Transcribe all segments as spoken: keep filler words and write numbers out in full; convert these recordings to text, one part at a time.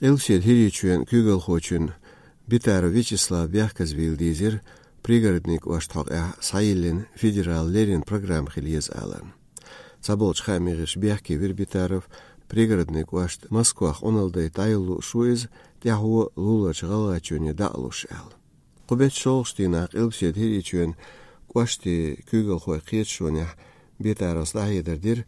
Къилбаседа ХӀирийчоьнан куьйгалхочун Битаров Вячеслава бехказбийла дийзира Пригородный кӀошта хьокъехь схьайиллина федералан леррина программа хила еза аларна. Цхьаболчу хаамийн гӀирсаша бехке вира Битаров, Пригородный кӀошт Москвах Ӏуналла дайта дӀайолалуш ву иза, тӀаьхьо луларчу ГӀалгӀайчоьне дӀа а луш аьлла. Кху беттан шолгӀачу дийнахь Къилбаседа ХӀирийчоьнан кӀоштийн куьйгалхойн кхеташонехь Битаровс дӀахьедар дира,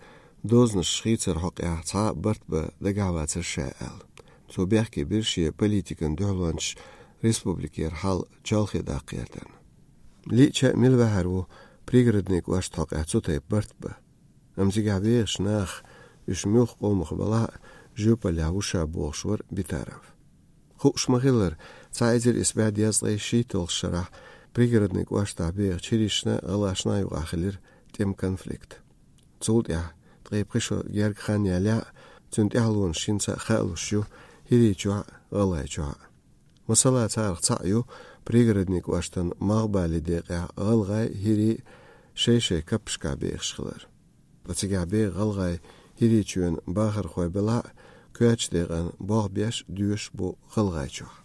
дозанаш хийцаран хьокъехь цхьа а барт бан дагахь вацара ша аьлла. Цо бехке бира шен политикан дуьхьалончаш республикера хьал чолхе даккха гӀертарна. Лиъча а мила ваьхьар ву Пригородный кӀошта хьокъехь цу тайпа барт бан? Амма цигахь бехачу наха, уьш муьлхха къомах балахь а, жоьпаллехь ву ша бохуш вара Битаров. Хууш ма-хиллара, цхьа эзар исс бӀе дезткъе шийтталгӀачу шарахь Пригородный кӀоштахь бехачу хӀирийшна а, гӀалгӀашна а юкъахь хилира тӀеман конфликт. Цул тӀаьхьа ткъе пхи шо герга хан ялахь а, цуьнан тӀаьхьалонаш хӀинца а хаалуш ю ХӀирийчохь а, ГӀалгӀайчохь а. Масала, царах цхьаъ ю Пригородный кӀоштан малхбален декъехь гӀалгӀай, хӀирий шай-шайн каппашкахь бехаш хилар. Ткъа цигахь беха гӀалгӀай ХӀирийчоьнан бахархой белахь а, коьртачу декъана болх беш, доьшуш бу ГӀалгӀайчохь.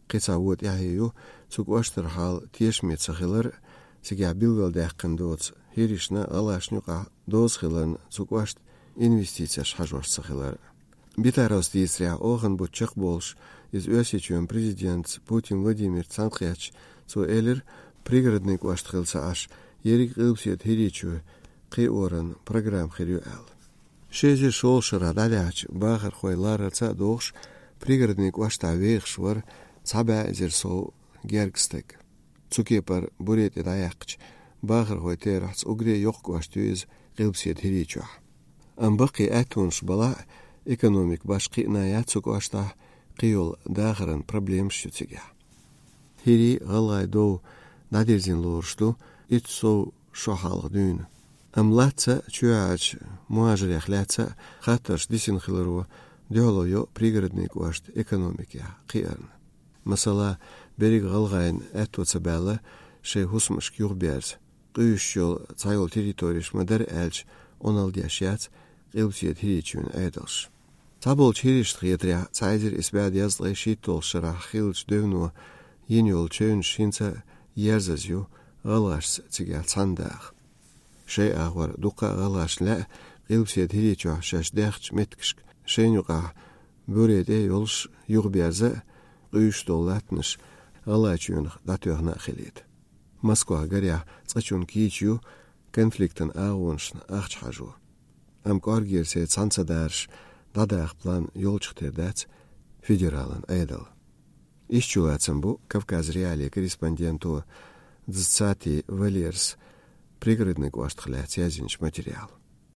Кхин цхьа вон тӀаьхье ю цу кӀоштара хьал тешаме ца хилар а, цигахь билгалдаьккхина доцу хӀирийшна а, гӀалгӀашна а юкъахь доза хиларна цу кӀоштан инвестицеш хьажош ца хилар а. Битаровс дийцарехь, оханан бутт чекхболуш, иза Оьрсийчоьнан президентаца Путин Владимирца цхьаьнакхеттачу, цо элира, Пригородный кӀошт хилла ца Ӏаш, ерриг а Къилбаседа ХӀирийчоь кхиоран программа хир ю аьлла. Ши эзар шолгӀачу шарахь дӀадаьхьачу бахархойн ларарца а догӀуш, Пригородный кӀоштахь вехаш вара цхьа бӀе эзар сов герга стаг. Цу кепара буре тӀе дӀаяьккхича, бахархойн терахьца уггаре а йоккха кӀошт ю иза Къилбаседа ХӀирийчохь. Амма баккхий аьттонаш балахь а, экономика башха кхиъна яц цу кӀоштахь, кхийолу дахаран проблемаш ю цигахь. ХӀирий, гӀалгӀай дов дӀадирзина лоруш ду итт сов шо хьалха дуьйна. Амма латта а, чоьхьарчу мухӀажарех лаьцна а хаттарш дисина хиларо дуьхьало йо Пригородный кӀоштан экономикехь кхиарна. Масала, берриг гӀалгӀайна аьтто ца баьлла шайн хӀусамашка юхаберза, къуьйсуш йолу цхьайолу территореш ма-дарра аьлча, Ӏуналла деш яц Къилбаседа ХӀирийчоьнан Ӏедалш. Цхьаболчу хӀирийшна хетарехь, цхьа эзар исс бӀе дезткъе шийтталгӀачу шарахь хиллачу девно йина йолу чевнаш хӀинца а ерзаза ю гӀалгӀашца цигахь цхьаьна даха. Шайн агӀор дуккха а гӀалгӀашна лаьа Къилбаседа ХӀирийчохь шаьш даьхначу меттигашка шайна юкъахь буре тӀе йолуш юхаберза а, къуьйсуш долу латтанаш ГӀалгӀайчоьнах дӀатоьхна а хилийта. Москвах гарехь цкъачунна кийча ю конфликтан агӀонашна ахча хьажо. Амма кӀоргера церан цхьаьна ца дараш дӀадаха план йолчух тера дац федералан Ӏедал. Иштта чулацам бу Кавказ.Реалии корреспонденто Дзацати Валерас Пригородный кӀоштах лаьцна язйинчу материалан.